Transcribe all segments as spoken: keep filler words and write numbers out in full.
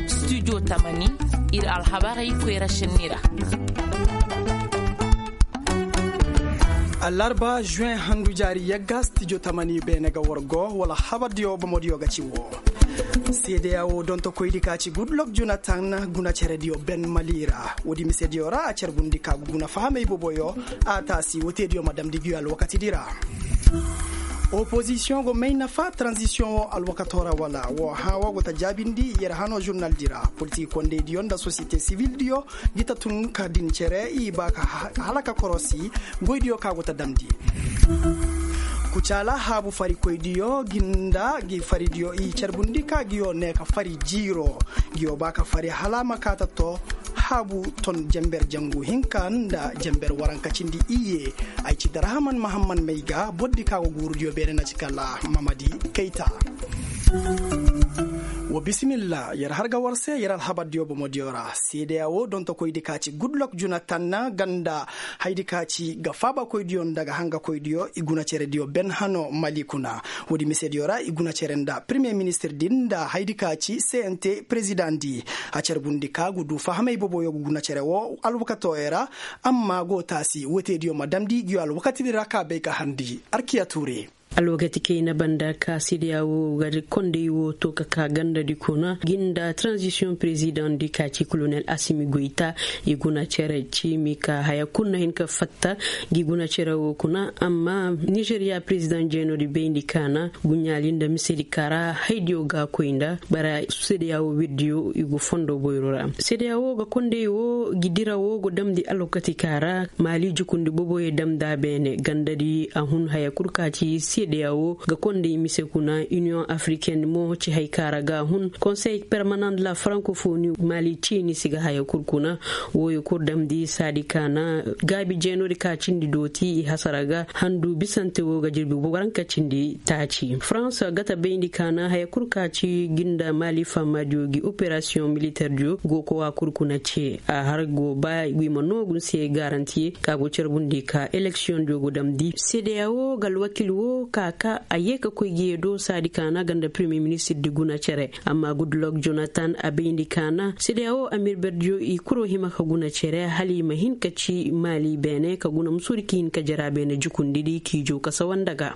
Studio tamani, ir alhabarey koyra senni ra. Alarba juin handu jaari yagga studio tamani beene ga wargo wala habardiyo bomodiyo ga ci wo. Seedeya wo dontokoydi ka ci gudlok jonatan guna cerediyo ben mali ra woodi misediyo ra a carbundi ka ga guna fahamey boboyo. A taasi woteediyo ma damndi gi alwakatidi ra. Opozisiyoŋ go may nafa tranzisiyoŋ wo alwakato ra wala wo hã wo go ta jaabindi yer hano žurnaldi ra. Politik kondeydiyo nda sosiyete sivildiyo gi ta tun ka din cere i ba ka halaka korosi. Goydiyo ka go ta damndi. Kucaala haabu farikoydiyo gi nda gi faridiyo i carbundi ka giyo ne ka fari jiiro. Giyo ba ka fari hala ma ka ta to haabu ton jenber jangu hinka nda jenber waranka cindi iyye. Ay ci darahaman mahamman may ga bordi ka go guurudiyo beene na ci kala mamadi kayta. Wa bisimilla yer har ga war se yer alhabardiyo bomodiyo ra seedeya wo dontokoydi ka ci gudlok juna tanna ganda. Haydi ka ci ga faabakoydiyo nda ga hangakoydiyo i guna cerediyo ben hano mali kuna. Woodi misediyo ra i guna cere nda premier ministirdi nda haydi ka ci cnt presidentdi. A carbundi ka ga du fahamey boboyo ga guna cere wo alwakatoyo ra. Amma go taasi woteediyo ma damndi giyo alwakatidi ra ka bay ka harndi arkiya tuure. Alwakati kayna banda ka seedeya wo ga kondey wo to ka ka gandadi kuna gi nda tranzisiyoŋ presidentdi ka ci kolonel asimi goyta. I guna cere ciimi ka haya kul na hin ka fatta gi guna cere wo kuna amma nizeriya president jeenodi bayndi kaana guɲaali nda misedi kaara haydiyo ga koy nda bara seedeya wo wirdiyo i go fondo boyro ra. Seedeya wo ga kondey wo gi dira wo go damndi alwakati kaara maali jukundi boboyo damnda beene gandadi a hun haya kul ka ci seedeya wo ga kondey mise kuna iniyoŋ afriken mo ci hay kaara ga a hun konsey permanent de la frankofoni maali ciini si ga haya kul kuna. Wooyo kul damndi saadi kaana gaabi jeenodi ka cindi dooti i hasara ga handu bisante wo ga jirbi waranka cindi taaci farans gata bayndi kaana haya kul ka ci gi nda maali faamaadiyo gi operasiyoŋ militerdiyo go kowa kul kuna ce a har go ba i ma noogu se garantiye ka go carbundi ka eleksiyoŋdiyo go damndi seedeya wo ga alwakil wo ka ka a yee ka koy gi yee do saadi kaana ganda premier ministirdi guna cere. Amma gudlok jonatan a bayndi kaana seedeya wo amirberdiyo i kuro hima ka guna cere hala i ma hin ka ci maali beene ka guna musuudi ka hin ka jara beene jukundidi k'i jow ka sawanda ga.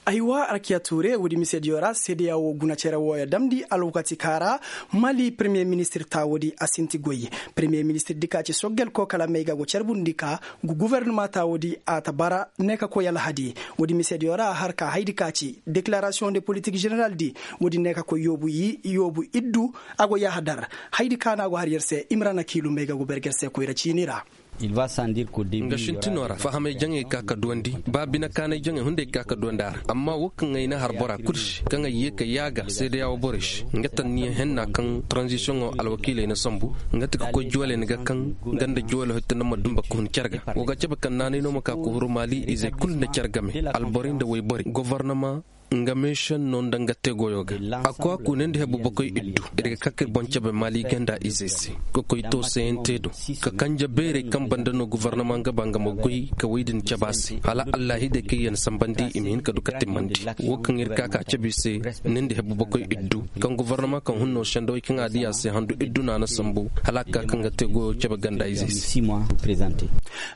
Aywa arkiya tuure woodi misediyo ra seedeya wo guna cere wooyo damndi alwakati kaara mali premier ministir taawoodi a sinti goy. Premier ministirdi ka ci soggel kookala may ga go carbundi ka gu guvernama taawoodi a ta bara ne ka koy alhadi. Woodi misediyo ra a har ka haydi ka ci deklarasiyoŋ de politik ženeraldi. Woodi ne ka koy yoobu iddu a go yahadar. Haydi ka no a go har yer se imrana kiilu may ga go berger se koyra ciini ra. Nga sintinoo ra fahamay jaŋey ka ka duwandi ba bine kaanay jaŋey hunday ka ka duwandi a ra amma wo kaŋ ay na har bora kul se kaŋ ay yee ka yaaga seedeya wo borey se nga tanniyaŋ henna kaŋ taranzisiyoŋo alwakiiley na sambu. Nga ti ka koy jooley ni ga kaŋ nga nda jooley hoy tanda ma dumba ka hun care ga. Wo ga cabe kaŋ naanay no ma ka ka huru maali izey kul nda care game alborey nda wayborey gofornama nga meesenno nda nga tegoyo ga. A koy a kuunandi hebu bakoy iddu ir ga ka ka ir boŋ cabe maali ganda izey se. Ka koy to sayante do ka kanje beerey kaŋ banda no gofornama nga ba nga ma goy ka wey din cabe a se hala allahidey kaŋ yaŋ sambandi i ma hin ka du ka timmandi. Wo kaŋ ir ka ka cabe i se nindi hebu bakoy iddu kaŋ gofornama kaŋ hun no sendawey kaŋ a di a se handu iddu no a na sambu hala a ga ka ka nga tegoyo cabe ganda izey se.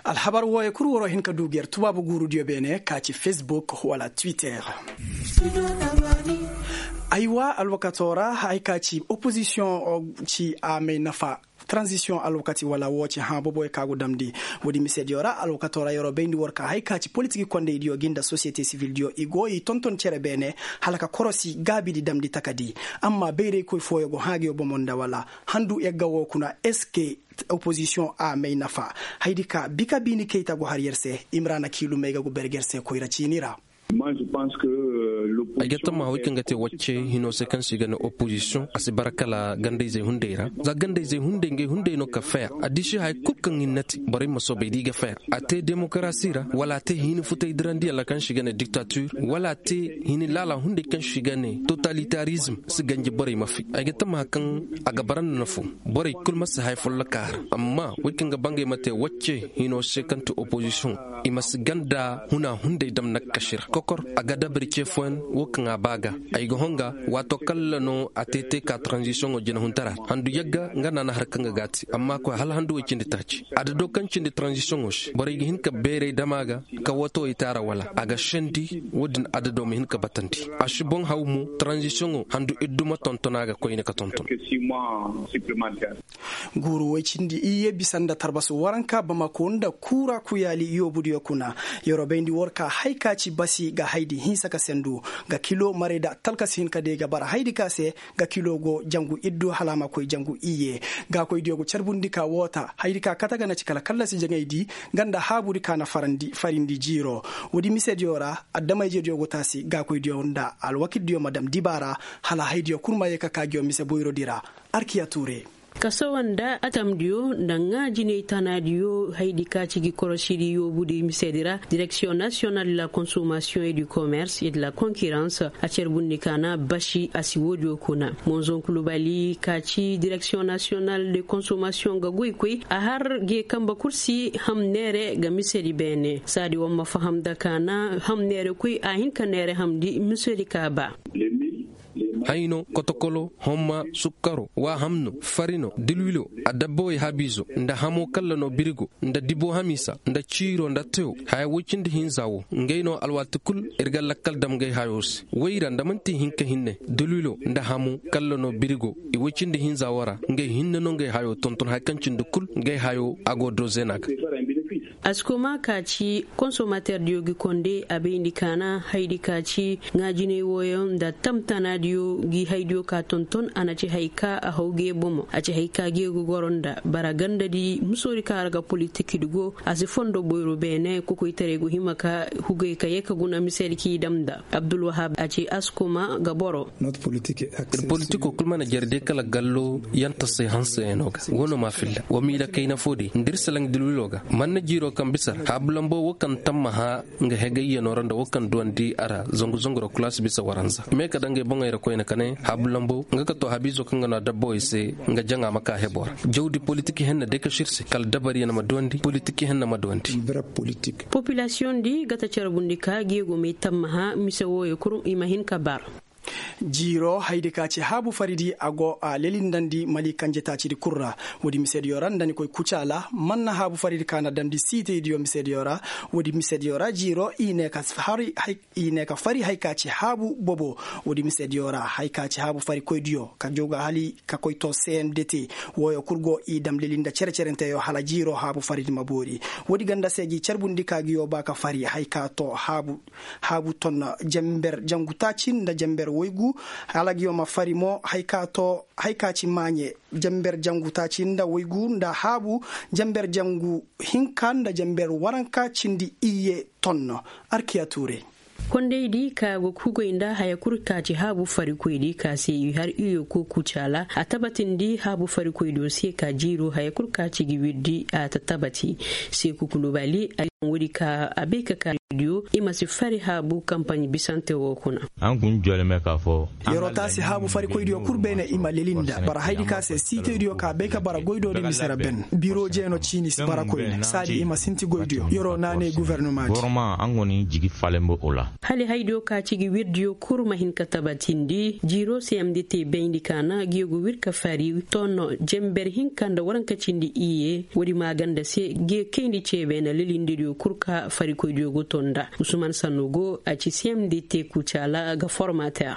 Alhabar wooyo kul waroo hin ka du ga yer tubaabu guurudiyo beene ka ci facebook wala twitter. Aywa alwakatoo ra hay ka ci opozisiyoŋ ci a may nafa. Taranzisiyoŋ alwakati wala woo ci hã boboyo ka go damndi. Woodi misediyo ra alwakatoo ra yeroo bayndi war ka hay ka ci politiki kondaydiyo gi nda sosiyete sivildiyo i go i tonton cere beene hala ka korosi gaabidi damndi takadi. Amma bayraykoy fooyo go hã ga yo bomo nda wala handu yagga woo kuna eske opozisiyoŋ a may nafa? Haydi ka bika biini kayta go har yer se. Imrana kiilu may ga go berger se koyra ciini ra. Ay ga tammaha wey kaŋ ga te wacce hinoo se kaŋ se i ga ne opozisiyoŋ a si bara kala gandayzey hunday ra. Za gandayzey hunday ngey hunday no ka faya a disi haya kul kaŋ i na te borey ma soobay da i ga faya. A te demokarasi ra wala a te hiini futay dirandiyaŋ ra kaŋ se i ga ne diktatir wala a te hiini laala hunday kaŋ se i ga ne totalitarizm si ganji borey ma fi. Ay ga tammaha kaŋ a ga bara nda nafo borey kul ma si haya folloka a ra. Amma wey kaŋ ga ba ngey ma te wacce hinoo se kaŋ te opozisiyoŋ i ma si ganda huna hunday dam nakkasi ra kokor a ga dabari ce fooyaŋ. wo kaŋ a ba ga. Ay ga honga, waato kalla no a te te ka taranzisiyoŋo jinahuntaraa ra handu yagga nga na a na har kaŋ ga gaati amma koy hala handu way cindi taaci. Adado kaŋ cindi taranzisiyoŋo se borey ga hin ka beeray dam a ga, ka wootowey te a ra wala a ga sendi. Wo-din adado ma hin ka batandi. A si boŋ haw mo, taranzisiyoŋo handu iddu ma tonton a ga koyne ka tonton. Guuru way cindi iyye bisa nda tarbasu waranka bamako nda kuura kuyaali yoobudiyo kuna. Yeroo bayndi war ka hay ka ci basi ga haydi hinsa ka sendu, ga kilo maray da talka si hin ka day ga bara haydi ka se. Ga kilo go jangu iddu hala a ma koy jangu iyye. Gaakoydiyo go carbundi ka woota haydi ka kate ga na ci kala kallasi jaŋaydi, nga nda haabudi ka na farindi jiiro. Woodi misediyo ra, adama-ijediyo go taasi gaakoydiyo nda alwakildiyo ma dam diba ra, hala haydiyo kul ma yee ka ka ngiyo mise boyrodi ra. Arkiya tuure. Kasawa nda atamdiyo nda ŋaa jinay tanaadiyo haydi ka ci gi korosidi yoobudi misedi ra, direksiyoŋ nasiyonal de la konsomasiyoŋ e du komers e de la konkirans, a carbundi ka na basi a si woodiyo kuna. Monzon kulubali ka ci direksiyoŋ nasiyonal de konsomasiyoŋ ga goy koy a har ge kambe kul si ham neere ga misedi beene saadi war ma faham nda ka na ham neere koy a hin ka neere hamndi misedi ka ba. Hayno, kotokolo, homma, sukkaro, waahamno, farino, dilwilo, adabbawey haabiizo, nda hamo kalla no birigo, nda dibo hamiisa, nda ciiro nda tewo. Haya woy cindi hinza wo ngey no alwaati kul ir ga lakkal dam ngey hayo se. Woy ra nda man'ti hinka hinne, dilwilo nda hamo kalla no birigo, i woy cindi hinza wo ra ngey hinne no ngey hayo tonton haya kaŋ cindi kul ngey hayo a go dozena ga. Askoma ka ci konsomaterdiyo gi konde a bayndi ka na haydi ka ci ŋaajinay wooyaŋ nda tamtanaadiyo gi haydiyo ka tonton a na ci hay ka a haw ge bomo a ci hay ka ge ga goro nda bara gandadi musoodi ka ra ga politikidi go a si fondo boyro beene kokoytaray go hima ka hugay ka ye ka guna misedi k'i dam nda. Abdulwahab a ci askoma ga boro. Ir politiko kul mana jare day kala gallo yanta se hanseyaŋo ga. Wo no ma filla wa miila kayna fo day nda ir salaŋ dilwilo ga man na jiiro kaŋ bisa ra haabu lambo wo kaŋ tammaha nga hegayyanoo ra nda wo kaŋ duwandi a ra zangu zangu ra kulaasi bisa waranza me ka daŋ ngey boŋey ra koyne ka ne haabu lambo nga ka to haabiizo kaŋ ga no a dabbawey se nga jaŋa ma ka hebo ra. Jawdi politik henna day ka sir se kala dabariyaŋ ma duwandi politik henna ma duwandi. Popilasiyoŋ di ga ta carbundi ka geegomey tammaha mise wooyo kul i ma hin ka bar. Jiiro haydi ka ci haabu faridi a go a lelindandi mali kanje taacidi kul ra. Woodi misediyo ra nda ni koy kucaala man na haabu faridi ka na damndi siitaydiyo misediyo ra. Woodi misediyo ra jiiro i ne ka fari hay ka ci haabu bobo. Woodi misediyo ra hay ka ci haabu farikoydiyo ka jooga hali ka koy to cmdt. Wooyo kul go i dam lelinda cere-cerenteyo hala jiiro haabu faridi ma boori. Woodi ganda se gi carbundi ka gi yoo ba ka fari hay ka to haabu haabu ton jamber jangu taaci nda jamber woygu. Hala gi yoo ma fari mo hay ka to hay ka ci maaɲe jamber jangu taaci nda woygu nda haabu jamber jangu hinka nda jamber waranka cindi iyye ton no. Arkiya tuure. Kondaydi ka go kugay nda haya kul ka ci haabu farikoydi ka se i har iyo ko kucaala a tabatindi haabu farikoydiyo se ka jiiro haya kul ka ci gi wirdi a ta tabati. Se kukulubali ay woodi ka a bay ka ka diyo i ma si fari haabu kampaɲ bisante wo kuna. An kun joleme ka fo. Yeroo taasi haabu farikoydiyo kul beene i ma lelinda bara haydi ka se siitaydiyo ka bay ka bara goydoodi mise ra ben biro jeeno ciini si bara koyne saadi i ma sinti goydiyo yeroo naanay guvernemati. Hali haydiyo ka ci gi wirdiyo kul ma hin ka tabatindi jiiro se yamdi te bayndi ka na gi yogo wir ka fari tonno jember hinka nda waranka cindi iye. Woodi maaganda se gi kayndi ceebe na lelindidiyo kul ka farikoydiyo go to nda usman sanno go a ci se yamdi te kucaala ga formater.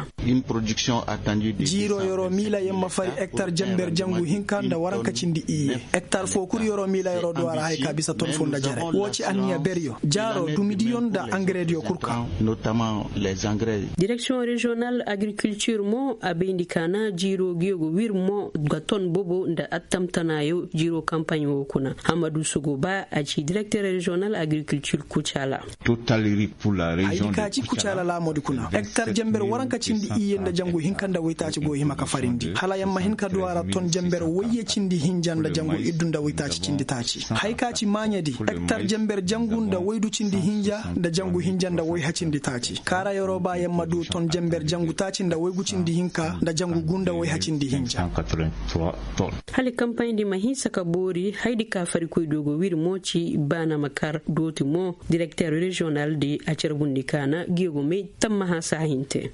Jiiro yeroo miila yer ma fari ektar jember jangu hinka nda waranka cindi iye. Ektar foo kul yeroo miila yeroo duw'a ra haya ka bisa ton foo nda jere woo ci anniya beryo jaaroo dumidiyo nda angarediyo kul ka. Direksiyoŋ reziyonal agrikultir mo a bayndi ka na jiiroo gi yogo wir mo ga ton bobo nda attamtanaayo jiiroo kampaɲ woo kuna hammadu sogoba a ci direkter reziyonal agrikultir kucaala. Haydi ka ci kucaala laamoodi kuna ektar jember waranka cindi iyye nda jangu hinka nda woytaaci go hima ka farindi hala yer ma hin ka du a ra ton jember woyye cindi hinja nda jangu iddu nda woytaaci cindi taaci. Hay ka ci maaɲedi ektar jember jangu nda woydu cindi hinja nda jangu hinja nda woyha cindi taaci kaara yeroo ba yer ma du ton jember jangu taaci nda woygu cindi hinka nda jangu gu nda woyha cindi hinja. Hala kampaɲdi ma hinsa ka boori haydi ka farikoydiyo go wir mo ci baana ma kar. Dooti mo direkter reziyonal di a carbundi kaana geegomey tammaha saa hinte.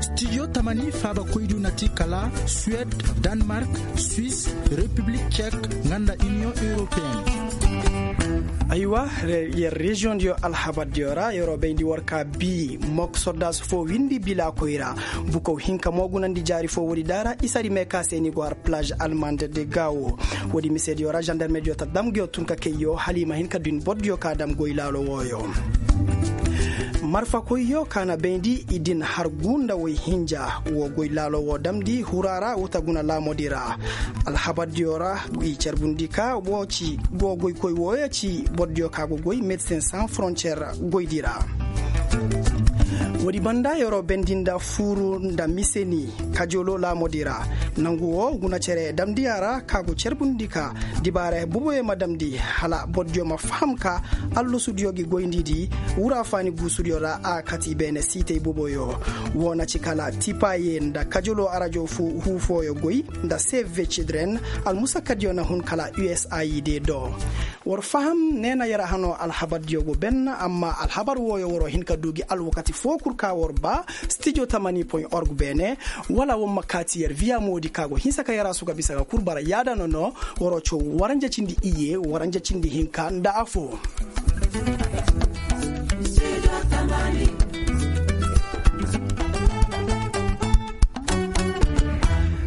Stijo tamani faaba koydu na ti kala suwed, danmark, swis, repiblik cek, nga nda iniyoŋ europeen. Aywa, yer reziyoŋ diyo alhabar diyo ra yeroo bayndi war ka bii mok sordaas foo windi bilaakoy ra. Bukow hinka mo gunandi jaari foo woodi daara isari mee ka se ni go har plaz almand de gaawo. Woodi mise diyo ra zandarme diyo ta dam nguyo tun ka kayyo hala i ma hin ka din bor diyo ka dam goy laalo wooyo. Marfakoyyo ka na bayndi i din har guu nda woy hinja. Woo goy laalo woo damndi huraa ra wuta guna laamodi ra. Alhabar diyo ra i carbundi ka woo ci go goykoy wooyo ci bor diyo ka go goy medsin san frontiyer goydi ra. Woodi banda yeroo bendi nda fuuru nda miseni kajoloo laamodi ra. Nangu woo guna cere damndi a ra ka go carbundi ka dibaara boboyo ma damndi hala bor diyo ma faham ka allusu diyo gi goyndi di wura faani guusu diyo ra a kati beene siitey boboyo. Woo na ci kala tipaye nda kajoloo arajo huu fooyo goy nda save cidren. Almusakka diyo na hun kala usaid do. War faham neena yer a hanoo alhabar diyo go ben amma alhabar wooyo waroo hin ka duu gi alwakati foo kul ka war baa stijo tamani point org beene. Wala war ma kaati yer viya moodi ka go hinsa ka yer a suga bisa ga kul bara yaada nono. Waroo caw waranja cindi iye waranja cindi hinka nda afoo.